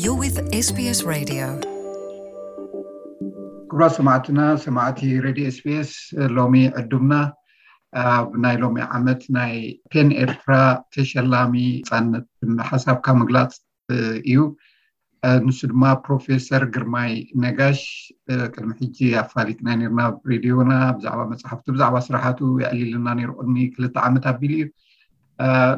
You're with S B S Radio. ክቡራት ሰማዕትና፣ ሰማዕቲ ሬድዮ ኤስቢኤስ፣ ሎሚ ዕዱምና ኣብ ናይ ሎሚ ዓመት ናይ ፔን ኤርትራ ተሸላሚ ናጻነት ሓሳብካ ምግላጽ እዩ። ንሱ ድማ ፕሮፌሰር ግርማይ ነጋሽ። ቅድሚ ሕጂ ኣፋሊጥና ነርና ኣብ ሬድዮና ብዛዕባ መጽሓፍቱ፣ ብዛዕባ ስራሓቱ የዕሊልና ነይሩ ቅድሚ ክልተ ዓመት ኣቢሉ እዩ።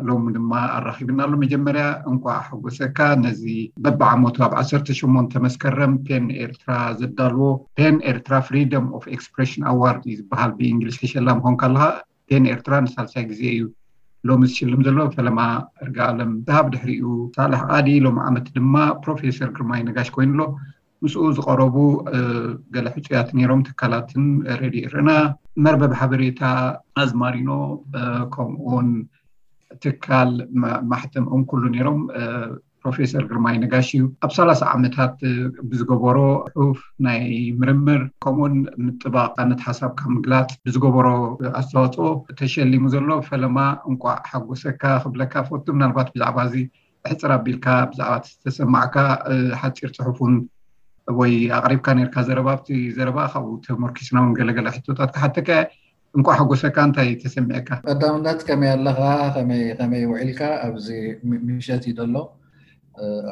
ሎሚ ድማ ኣራኺብና ኣሎ። መጀመርያ እንኳዕ ሓጎሰካ። ነዚ በብዓመቱ ኣብ ዓሰርተ ሸሞንተ መስከረም ፔን ኤርትራ ዘዳልዎ ፔን ኤርትራ ፍሪደም ኦፍ ኤክስፕሬሽን ኣዋርድ እዩ ዝበሃል ብእንግሊዝ። ሕሸላ ምኾንካ ኣለኻ። ፔን ኤርትራ ንሳልሳይ ግዜ እዩ ሎሚ ዝሽልም ዘሎ። ፈለማ እርጋ ኣለም ዝሃብ፣ ድሕሪኡ ሳልሕ ኣዲ፣ ሎም ዓመት ድማ ፕሮፌሰር ግርማይ ነጋሽ ኮይኑ ኣሎ። ምስኡ ዝቐረቡ ገለ ሕፁያት ነይሮም፣ ትካላትን ሬድዮ ኤረና፣ መርበብ ሓበሬታ ኣዝማሪኖ፣ ከምኡውን ትካል ማሕተም ኦም ኩሉ ነይሮም። ፕሮፌሰር ግርማይ ነጋሽ እዩ ኣብ ሰላሳ ዓመታት ብዝገበሮ ጽሑፍ፣ ናይ ምርምር፣ ከምኡውን ምጥባቕ ናጻነት ሓሳብካ ምግላጽ ብዝገበሮ ኣስተዋፅኦ ተሸሊሙ ዘሎ። ፈለማ እንቋዕ ሓጎሰካ ክብለካ ፈቱ። ምናልባት ብዛዕባ እዚ ሕፅር ኣቢልካ ብዛዕባ ዝተሰማዕካ ሓፂር ፅሑፍ እውን ወይ ኣቕሪብካ ነርካ ዘረባ፣ ኣብቲ ዘረባ ካብኡ ተመርኪስና እውን ገለገለ ሕቶታት ክሓተካ። እንኳዕ ሓጎሰካ። እንታይ ተሰሚዐካ? ቀዳምነት ከመይ ኣለኻ? ከመይ ውዒልካ? ኣብዚ ምሸት እዩ ዘሎ።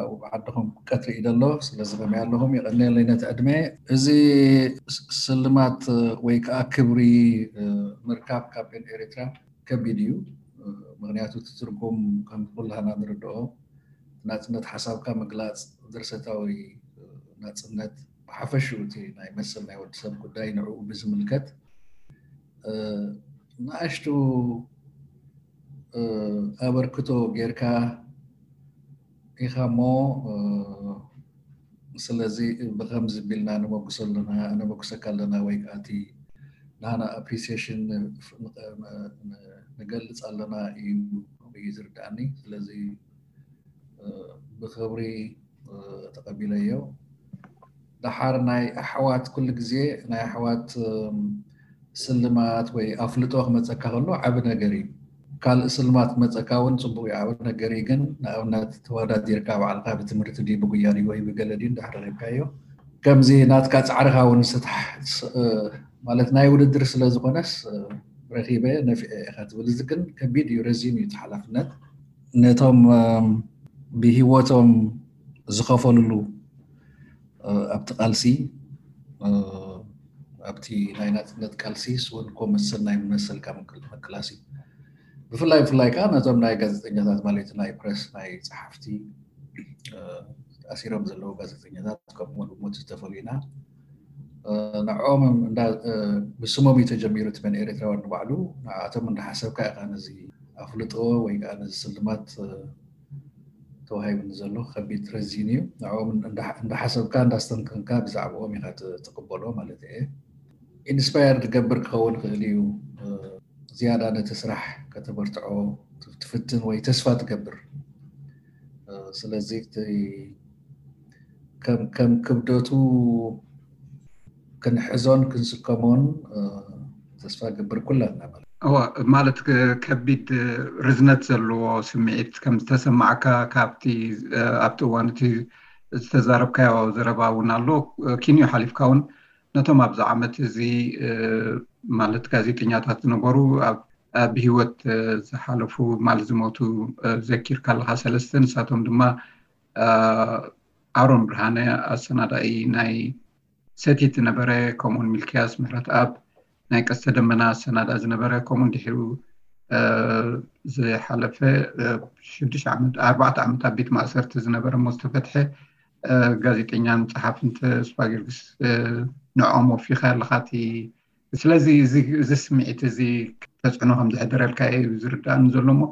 ኣብኡ ዓድኹም ቀትሪ እዩ ዘሎ። ስለዚ ከመይ ኣለኹም? የቐንየለይ ነቲ ዕድመ። እዚ ስልማት ወይ ከዓ ክብሪ ምርካብ ካብ ፔን ኤርትራ ከቢድ እዩ። ምክንያቱ እቲ ትርጉም ከም ኩላህና ንርድኦ ናጽነት ሓሳብካ ምግላጽ፣ ድርሰታዊ ናጽነት፣ ብሓፈሽኡ እቲ ናይ መሰል ናይ ወዲ ሰብ ጉዳይ ንዕኡ ብዝምልከት ንኣሽቱ ኣበርክቶ ጌርካ ኢኻ እሞ፣ ስለዚ ብከምዚ ቢልና ነመጉሰ ኣለና፣ ነመጉሰካ ኣለና ወይ ከዓ እቲ ናና ኣፕሪሲሽን ንገልጽ ኣለና እዩ ዝርዳእኒ። ስለዚ ብክብሪ ተቐቢለዮ። ደሓር ናይ ኣሕዋት ኩሉ ግዜ ናይ ኣሕዋት ስልማት ወይ ኣፍልጦ ክመፀካ ከሎ ዓቢ ነገር እዩ። ካልእ ስልማት ክመፀካ እውን ፅቡቅ እዩ፣ ዓቢ ነገር እዩ። ግን ንኣብነት ተወዳዲርካ ባዕልካ ብትምህርቲ ድዩ ብጉያ ድዩ ወይ ብገለ ድዩ እንዳሕረረብካዮ ከምዚ ናትካ ፃዕርካ እውን ስታሕ ማለት ናይ ውድድር ስለ ዝኾነስ ረኺበ ነፊዐ ኢኻ ትብል። እዚ ግን ከቢድ እዩ፣ ረዚን እዩ እቲ ሓላፍነት። ነቶም ብሂወቶም ዝኸፈልሉ ኣብቲ ቃልሲ ኣብቲ ናይ ናጽነት ቃልሲ ስወን ኮመሰል ናይ መሰልካ ምክላሲ ብፍላይ ብፍላይ ከዓ ነቶም ናይ ጋዜጠኛታት ማለት ናይ ፕረስ ናይ ጸሓፍቲ ኣሲሮም ዘለዉ ጋዜጠኛታት ከምኡ እውን ብሞት ዝተፈልዩና ንዕኦም ብስሞም እዩ ተጀሚሩ እቲ መን ኤርትራውያን ንባዕሉ ንዓቶም እንዳሓሰብካ ኢኻ ነዚ ኣፍልጦ ወይ ከዓ ነዚ ስልማት ተዋሂቡኒ ዘሎ ከቢድ ረዚን እዩ። ንዕኦም እንዳሓሰብካ እንዳስተንተንካ ብዛዕባኦም ኢኻ ትቅበሎ ማለት እየ። ኢንስፓየር ትገብር ክኸውን ይኽእል እዩ። ዝያዳ ነቲ ስራሕ ከተበርትዖ ትፍትን ወይ ተስፋ ትገብር። ስለዚ ከም ክብደቱ ክንሕዞን ክንስከሞን ተስፋ ገብር ኩላና ማለት እዋ ማለት ከቢድ ርዝነት ዘለዎ ስምዒት ከም ዝተሰማዕካ ካብቲ ኣብቲ እዋን እቲ ዝተዛረብካዮ ዘረባ እውን ኣሎ። ኪንዮ ሓሊፍካ እውን ነቶም ኣብዚ ዓመት እዚ ማለት ጋዜጠኛታት ዝነበሩ ኣብ ብህይወት ዝሓለፉ ማለት ዝሞቱ ዘኪርካ ኣለካ ሰለስተ። ንሳቶም ድማ ኣሮን ብርሃነ ኣሰናዳኢ ናይ ሰቲት ዝነበረ፣ ከምኡውን ሚልክያስ ምሕረትኣብ ናይ ቀስተ ደመና ኣሰናዳ ዝነበረ፣ ከምኡውን ድሕሪኡ ዝሓለፈ ሽዱሽተ ዓመት ኣርባዕተ ዓመት ኣብ ቤት ማእሰርቲ ዝነበረ እሞ ዝተፈትሐ ጋዜጠኛን ጸሓፍን ተስፋ ጊዮርጊስ ንዕኦም ወፊኻ ኣለኻ። እቲ ስለዚ እዚ ስምዒት እዚ ተጽዕኖ ከም ዘሕደረልካ እዩ ዝርዳእኒ ዘሎ እሞ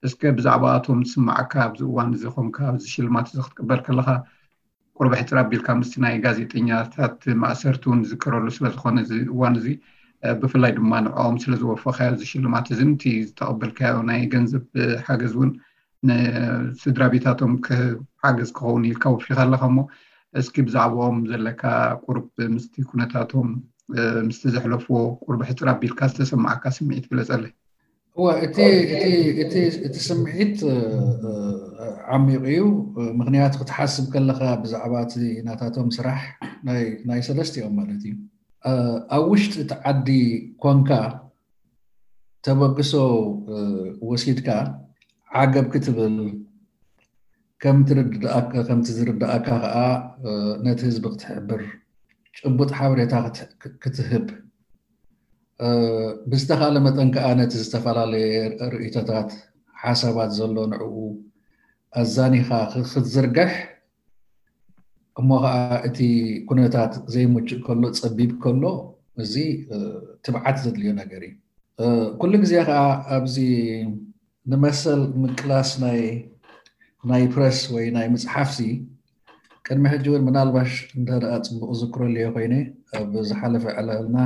እስከ ብዛዕባኣቶም ዝስማዓካ ኣብዚ እዋን እዚ ኮንካ ኣብዚ ሽልማት እዚ ክትቅበል ከለኻ ቁርብ ሕጽር ኣቢልካ ምስቲ ናይ ጋዜጠኛታት ማእሰርቲ እውን ዝዝከረሉ ስለ ዝኾነ እዚ እዋን እዚ ብፍላይ ድማ ንዕኦም ስለ ዝወፈኻዮ እዚ ሽልማት እዚ እቲ ዝተቐበልካዮ ናይ ገንዘብ ሓገዝ እውን ንስድራ ቤታቶም ሓገዝ ክኸውን ኢልካ ወፊኻ ኣለኻ እሞ እስኪ ብዛዕባኦም ዘለካ ቁርብ ምስቲ ኩነታቶም ምስቲ ዘሕለፍዎ ቁርብ ሕጽር ኣቢልካ ዝተሰማዓካ ስምዒት ግለጸለይ። እወ እቲ እቲ እቲ እቲ ስምዒት ዓሚቕ እዩ። ምክንያቱ ክትሓስብ ከለኻ ብዛዕባ እቲ ናታቶም ስራሕ ናይ ሰለስቲኦም ማለት እዩ ኣብ ውሽጢ እቲ ዓዲ ኮንካ ተበግሶ ወሲድካ ዓገብ ክትብል ከምቲ ዝርድኣካ ከዓ ነቲ ህዝቢ ክትሕብር ጭቡጥ ሓበሬታ ክትህብ ብዝተኻለ መጠን ከዓ ነቲ ዝተፈላለየ ርእይቶታት ሓሳባት ዘሎ ንዕኡ ኣዛኒኻ ክትዝርግሕ እሞ ከዓ እቲ ኩነታት ዘይምቹእ ከሎ ፀቢብ ከሎ እዚ ትብዓት ዘድልዮ ነገር እዩ። ኩሉ ግዜ ከዓ ኣብዚ ንመሰል ምቅላስ ናይ ናይ ፕረስ ወይ ናይ ምፅሓፍሲ ቅድሚ ሕጂ እውን ምናልባሽ እንተ ደኣ ፅቡቅ ዝክሮ ኣለዮ ኮይነ ኣብ ዝሓለፈ ዕላልና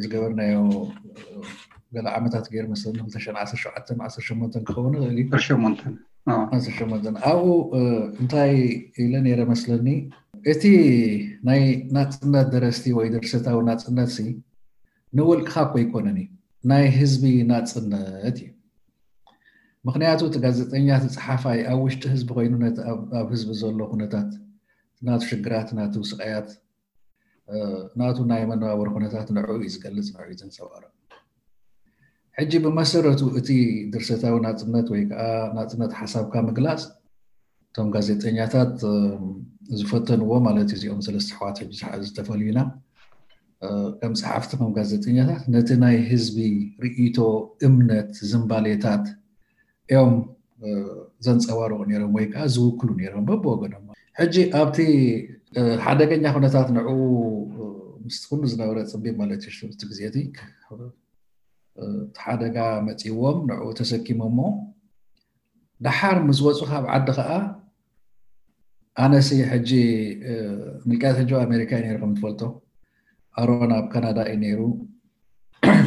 ዝገበርናዮ ገለ ዓመታት ገይር መስለኒ ክልተ ሽሕን ዓሰርተ ሸውዓተን ዓሰርተ ሸሞንተን ክኸውን ይኽእል እዩ። ዓሰርተ ሸሞንተ ዓሰርተ ሸሞንተ ኣብኡ እንታይ ኢለ ነይረ መስለኒ እቲ ናይ ናፅነት ደረስቲ ወይ ድርሰታዊ ናፅነት ሲ ንውልቅኻ እኮ ኣይኮነን እዩ ናይ ህዝቢ ናፅነት እዩ። ምክንያቱ እቲ ጋዜጠኛ እቲ ፀሓፋይ ኣብ ውሽጢ ህዝቢ ኮይኑ ነቲ ኣብ ህዝቢ ዘሎ ኩነታት ናቱ ሽግራት ናቱ ስቃያት ናቱ ናይ መነባበሪ ኩነታት ንዕኡ እዩ ዝገልፅ ንዕኡ እዩ ዘንፀባርቕ። ሕጂ ብመሰረቱ እቲ ድርሰታዊ ናፅነት ወይ ከዓ ናፅነት ሓሳብካ ምግላፅ እቶም ጋዜጠኛታት ዝፈተንዎ ማለት እዩ። እዚኦም ሰለስተ ኣሕዋት ሕጂ ዝተፈልዩና ከም ፀሓፍቲ ከም ጋዜጠኛታት ነቲ ናይ ህዝቢ ርእይቶ፣ እምነት፣ ዝንባሌታት እዮም ዘንፀባርቑ ነይሮም ወይ ከዓ ዝውክሉ ነይሮም በብወገኖም። ሕጂ ኣብቲ ሓደገኛ ኩነታት ንዕኡ ምስ ኩሉ ዝነበረ ፅቢብ ማለት እዩ እቲ ግዜ እቲ ሓደጋ መፂዎም ንዕኡ ተሰኪሞሞ ደሓር ምስ ወፁ ካብ ዓዲ ከዓ ኣነሲ ሕጂ ምልክያት ሕጂ ኣሜሪካ እዩ ነይሩ ከም ትፈልጦ ኣሮን ኣብ ካናዳ እዩ ነይሩ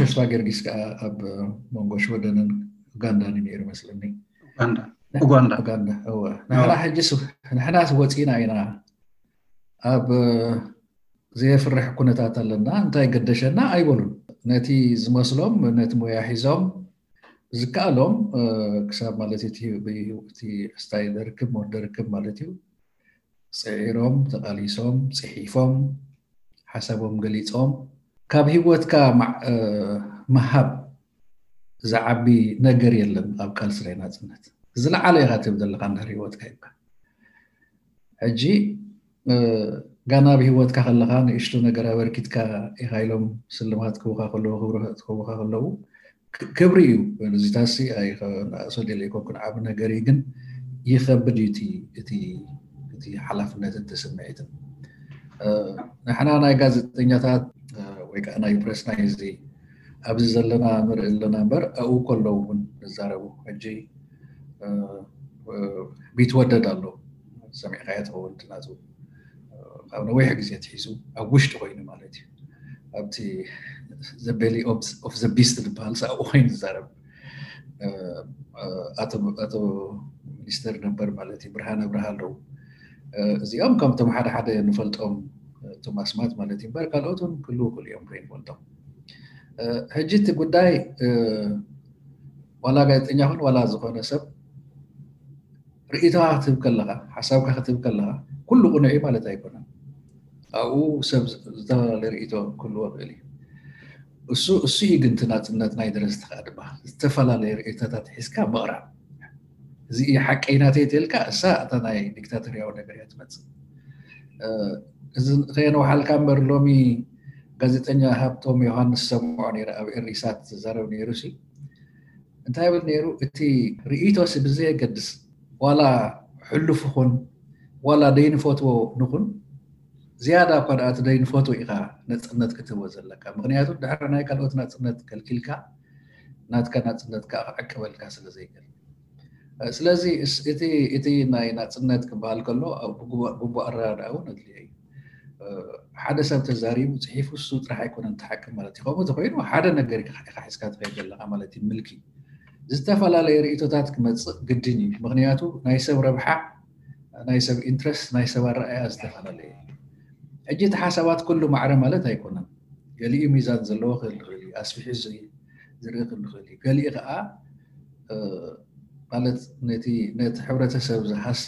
ተስፋ ጊዮርጊስ ከዓ ኣብ መንጎ ሽወደንን ኡጋንዳን እዩ ነይሩ መስለኒ ኡጋንዳ ኡጋንዳ እወ ንሕና ሕጂ ንሕናስ ወፂና ኢና ኣብ ዘየፍርሕ ኩነታት ኣለና እንታይ ገደሸና ኣይበሉን ነቲ ዝመስሎም ነቲ ሞያ ሒዞም ዝከኣሎም ክሳብ ማለት እቲ ስታይ ደርክብ ሞት ደርክብ ማለት እዩ ፅዒሮም ተቓሊሶም ፅሒፎም ሓሳቦም ገሊፆም ካብ ህይወትካ ምሃብ ዝዓቢ ነገር የለን ኣብ ቃልሲ ናይ ናፅነት ዝለዓለ ኢኻ ትብል ዘለካ እንድሕር ህይወትካ ሂብካ ሕጂ ጋና ብህይወትካ ከለካ ንእሽቶ ነገር ኣበርኪትካ ኢካ ኢሎም ስልማት ክቡካ ከለዉ ክብሪ ክቡካ ከለዉ ክብሪ እዩ እዚታሲ ኣይከኣሶ ደለ ይኮንኩን ዓብ ነገር እዩ ግን ይከብድ እዩ እቲ ሓላፍነትን እቲ ስምዒትን ንሕና ናይ ጋዜጠኛታት ወይ ከዓ ናይ ፕረስ ናይ እዚ ኣብዚ ዘለና ንርኢ ኣለና እምበር ኣብኡ ከለዉ እውን ንዛረቡ ሕጂ ቢትወደድ ኣሎ ሰሚዕካዮ ትኸውን ናቱ ካብ ነዊሕ ግዜ ትሒዙ ኣብ ውሽጢ ኮይኑ ማለት እዩ ኣብቲ the belly of the beast ዝበሃል ኣብኡ ኮይኑ ዝዛረብ ኣቶ ሚኒስተር ነበር ማለት እዩ ብርሃን ኣብርሃ ኣለዉ እዚኦም ከምቶም ሓደ ሓደ ንፈልጦም እቶም ኣስማት ማለት እዩ እምበር ካልኦት እውን ክልው ክሉ እዮም ከይንፈልጦም ሕጂ እቲ ጉዳይ ዋላ ጋዜጠኛ ኹን ዋላ ዝኾነ ሰብ ርእይቶኻ ክትህብ ከለኻ ሓሳብካ ክትህብ ከለኻ ኩሉ ቅኑዕ እዩ ማለት ኣይኮነን ኣብኡ ሰብ ዝተፈላለየ ርእይቶ ክህልዎ ይኽእል እዩ እሱ እሱ እዩ ግን ናፅነት ናይ ደረስቲ ከዓ ድማ ዝተፈላለየ ርእይቶታት ሒዝካ ምቕራብ እዚ እዩ ሓቀይ ናተይ ተልካ እሳ እታ ናይ ዲክታቶርያዊ ነገር እያ ትመፅእ እዚ ከየነውሓልካ እምበር ሎሚ ጋዜጠኛ ሃብቶም ዮሃንስ ሰምዖ ነይረ ኣብ ኤሪሳት ዝዛረብ ነይሩ ሲ እንታይ ይብል ነይሩ እቲ ርእይቶሲ ብዘየገድስ ዋላ ሕሉፍ ኹን ዋላ ደይንፈትዎ ንኹን ዝያዳ እኳ ደኣ እቲ ደይንፈትዎ ኢኻ ነፅነት ክትህቦ ዘለካ ምክንያቱ ድሕሪ ናይ ካልኦት ናፅነት ከልኪልካ ናትካ ናፅነት ከዓ ክዕቅበልካ ስለ ዘይክእል ስለዚ እቲ ናይ ናፅነት ክበሃል ከሎ ግቡእ ኣረዳድኣ እውን ኣድልዮ እዩ ሓደ ሰብ ተዛሪቡ ፅሒፉ እሱ ጥራሕ ኣይኮነን ተሓቅም ማለት እዩ ከምኡ ተኮይኑ ሓደ ነገር ኢካ ሒዝካ ትኸይድ ዘለካ ማለት እዩ ምልኪ ዝተፈላለዩ ርእቶታት ክመፅእ ግድን እዩ ምክንያቱ ናይ ሰብ ረብሓ ናይ ሰብ ኢንትረስት ናይ ሰብ ኣረኣያ ዝተፈላለየ ሕጂ እቲ ሓሳባት ኩሉ ማዕረ ማለት ኣይኮነን ገሊኡ ሚዛን ዘለዎ ክህል ይኽእል እዩ ኣስፊሑ ዝርኢ ክህል ይኽእል እዩ ገሊኡ ከዓ ማለት ነቲ ነቲ ሕብረተሰብ ዝሃሲ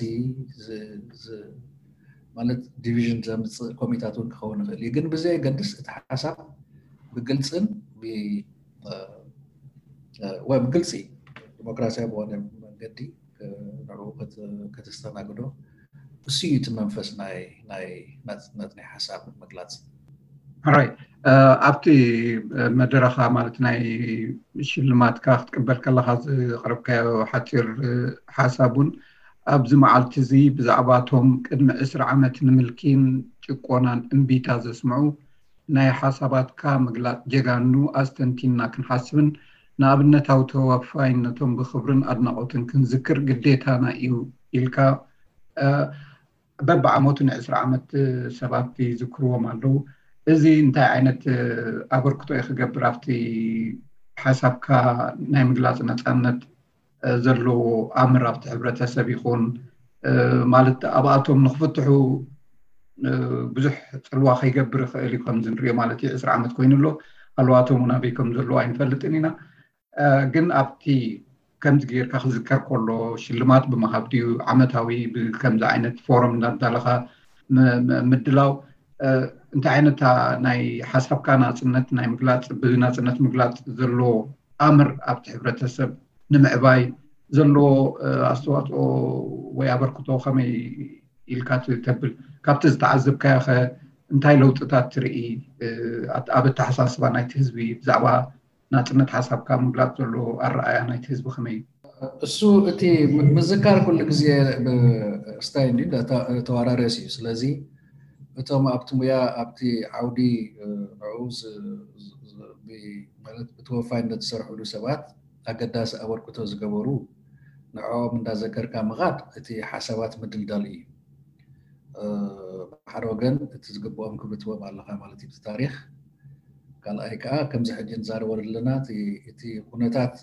ማለት ዲቪዥን ዘምፅእ ኮሚታት እውን ክኸውን ይኽእል እዩ። ግን ብዘየገድስ እቲ ሓሳብ ብግልፅን ወይ ብግልፂ ዲሞክራሲያዊ በሆነ መንገዲ ንዕኡ ከተስተናግዶ እሱ እዩ እቲ መንፈስ ናይ ናይ ናፅነት ናይ ሓሳብ ምግላፅ። ራይ ኣብቲ መደረኻ ማለት ናይ ሽልማትካ ክትቅበል ከለካ ዘቕረብካዮ ሓፂር ሓሳብ እውን ኣብዚ መዓልቲ እዚ ብዛዕባ እቶም ቅድሚ ዕስራ ዓመት ንምልኪን ጭቆናን እምቢታ ዘስምዑ ናይ ሓሳባትካ ምግላፅ ጀጋኑ ኣስተንቲንና ክንሓስብን ንኣብነታዊ ተወፋይነቶም ብክብርን ኣድናቖትን ክንዝክር ግዴታና እዩ ኢልካ በብዓመቱ ንዕስራ ዓመት ሰባት ይዝክርዎም ኣለዉ። እዚ እንታይ ዓይነት ኣበርክቶ እዩ ክገብር ኣብቲ ሓሳብካ ናይ ምግላፅ ነፃነት ዘለዎ ኣምር ኣብቲ ሕብረተሰብ ይኹን ማለት ኣብኣቶም ንክፍትሑ ብዙሕ ፅልዋ ከይገብር ይኽእል እዩ ከምዚ ንሪኦ ማለት እዩ። ዕስራ ዓመት ኮይኑ ኣሎ ኣለዋቶም እውን ኣበይ ከም ዘለዎ ኣይንፈልጥን ኢና። ግን ኣብቲ ከምዚ ጌርካ ክዝከር ከሎ ሽልማት ብምሃብ ድዩ ዓመታዊ ብከምዚ ዓይነት ፎረም እንዳዳለኻ ምድላው እንታይ ዓይነት ናይ ሓሳብካ ናፅነት ናይ ምግላፅ ብናፅነት ምግላፅ ዘሎ ኣምር ኣብቲ ሕብረተሰብ ንምዕባይ ዘለዎ ኣስተዋፅኦ ወይ ኣበርክቶ ከመይ ኢልካ ተብል? ካብቲ ዝተዓዘብካዮ ከ እንታይ ለውጥታት ትርኢ ኣብ ኣተሓሳስባ ናይቲ ህዝቢ ብዛዕባ ናፅነት ሓሳብካ ምግላፅ ዘሎ ኣረኣያ ናይቲ ህዝቢ ከመይ እዩ? እሱ እቲ ምዝካር ኩሉ ግዜ ስታይ ተዋራረስ እዩ። ስለዚ እቶም ኣብቲ ሙያ ኣብቲ ዓውዲ ንዕኡ ብተወፋይነት ዝሰርሕሉ ሰባት ኣገዳሲ ኣበርክቶ ዝገበሩ ንዕኦም እንዳዘከርካ ምኻድ እቲ ሓሳባት ምድልዳል እዩ። ብሓደ ወገን እቲ ዝግብኦም ክብሪ ትህቦም ኣለካ ማለት እዩ። እቲ ታሪክ ካልኣይ ከዓ ከምዚ ሕጂ ንዛረበሉ ዘለና እቲ ኩነታት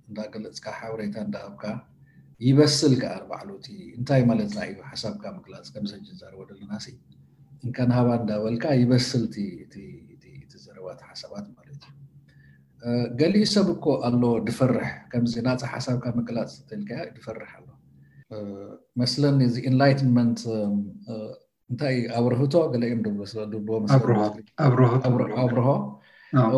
እንዳገለፅካ ሓበሬታ እንዳሃብካ ይበስል ከዓ ባዕሉ እቲ እንታይ ማለትና እዩ ሓሳብካ ምግላፅ ከምዚ ሕጂ ንዛረበሉ ዘለና ሲ እንከን ሃባ እንዳበልካ ይበስል እቲ ዘረባት ሓሳባት ማለት እዩ። ገሊኡ ሰብ እኮ ኣሎ ድፈርሕ ከምዚ ናፃ ሓሳብካ ምግላፅ ተልካ ድፈርሕ ኣሎ መስለኒ እዚ ኢንላይትመንት እንታይ ኣብርህቶ ገለ እዮም ድብሎ ስለ ድብሎ ኣብርሆ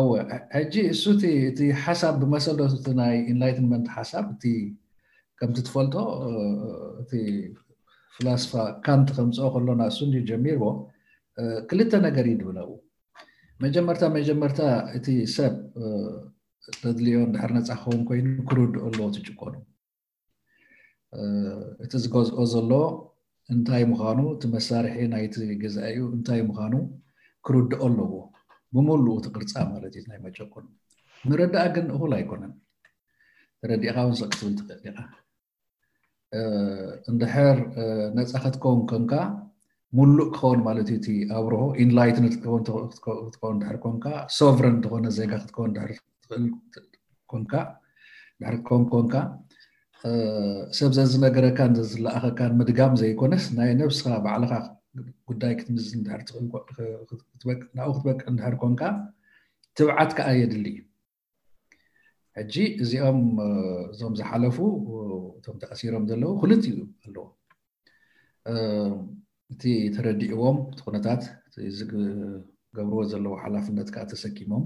እወ ሕጂ እሱ እቲ ሓሳብ ብመሰረቱ እቲ ናይ ኢንላይትመንት ሓሳብ እቲ ከምቲ ትፈልጦ እቲ ፍላስፋ ካንት ከምፅኦ ከሎና እሱ እንዲ ጀሚርዎ ክልተ ነገር እዩ ድብለው መጀመርታ መጀመርታ እቲ ሰብ ተድልዮ እንድሕር ነፃ ክኸውን ኮይኑ ክርድኦ ኣለዎ ትጭቆኑ እቲ ዝገዝኦ ዘሎ እንታይ ምዃኑ እቲ መሳርሒ ናይቲ ገዛኢኡ እንታይ ምዃኑ ክርድኦ ኣለዎ ብምሉኡ እቲ ቅርፃ ማለት እዩ ናይ መጨቆን ምርዳእ ግን እኹል ኣይኮነን ተረዲእካ እውን ሰቅ ክትብል ትኽእል ኢኻ እንድሕር ነፃ ክትከውን ኮንካ ሙሉእ ክኸውን ማለት እዩ እቲ ኣብርሆ ኢንላይትንድ ክትከውን ድሕር ኮንካ ሶቨረን ዝኾነ ዜጋ ክትከውን ድሕር ትኽእል ኮንካ ድሕር ኮን ኮንካ ሰብ ዘዝነገረካን ዘዝለኣኸካን ምድጋም ዘይኮነስ ናይ ነብስኻ ባዕልኻ ጉዳይ ክትምዝን ድሕር ትኽእል ናብኡ ክትበቅዕ እንድሕር ኮንካ ትብዓት ከዓ የድሊ እዩ ሕጂ እዚኦም እዞም ዝሓለፉ እቶም ተኣሲሮም ዘለዉ ክልቲኡ ኣለዎ እቲ ተረዲእዎም እቲ ኩነታት ዝገብርዎ ዘለዉ ሓላፍነት ከዓ ተሰኪሞም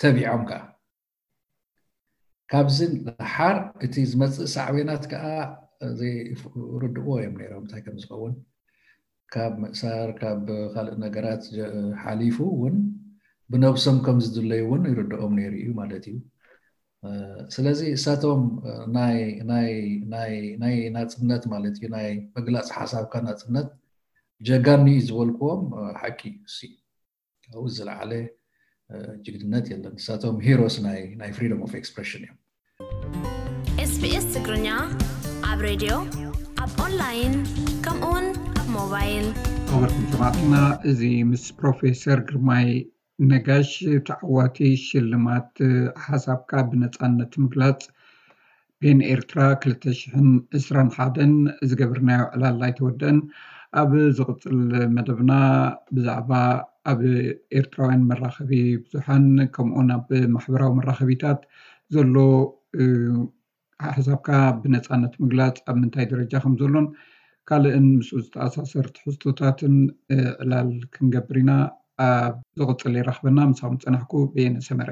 ተቢዖም ከዓ ካብዚ ሓር እቲ ዝመፅእ ሳዕቤናት ከዓ ዘይርድእዎ እዮም ነይሮም እንታይ ከም ዝኸውን ካብ ምእሳር ካብ ካልእ ነገራት ሓሊፉ እውን ብነብሶም ከም ዝድለዩ እውን ይርድኦም ነይሩ እዩ ማለት እዩ ስለዚ እሳቶም ናይ ናፅነት ማለት እዩ ናይ ምግላፅ ሓሳብካ ናፅነት ጀጋኑ እዩ ዝበልክዎም ሓቂ እዩ ካብኡ ዝለዓለ ጅግንነት የለን ንሳቶም ሂሮስ ናይ ናይ freedom of expression እዮም SBS ትግርኛ ኣብ ሬድዮ ኣብ ኦንላይን ከምኡውን ኣብ ሞባይል ክቡርኩም ሰማዕትና እዚ ምስ ፕሮፌሰር ግርማይ ነጋሽ ተዓዋቲ ሽልማት ሓሳብካ ብነፃነት ምግላፅ ፔን ኤርትራ ክልተ ሽሕን ዕስራን ሓደን ዝገበርናዮ ዕላል ኣይተወደአን ኣብ ዝቕፅል መደብና ብዛዕባ ኣብ ኤርትራውያን መራኸቢ ብዙሓን ከምኡውን ኣብ ማሕበራዊ መራኸቢታት ዘሎ ሓሳብካ ብነፃነት ምግላፅ ኣብ ምንታይ ደረጃ ከም ዘሎን ካልእን ምስኡ ዝተኣሳሰር ትሕዝቶታትን ዕላል ክንገብር ኢና። ኣብ ዝቕፅል የራኽበና። ምሳኹም ዝፀናሕኩ በየነ ሰመረ።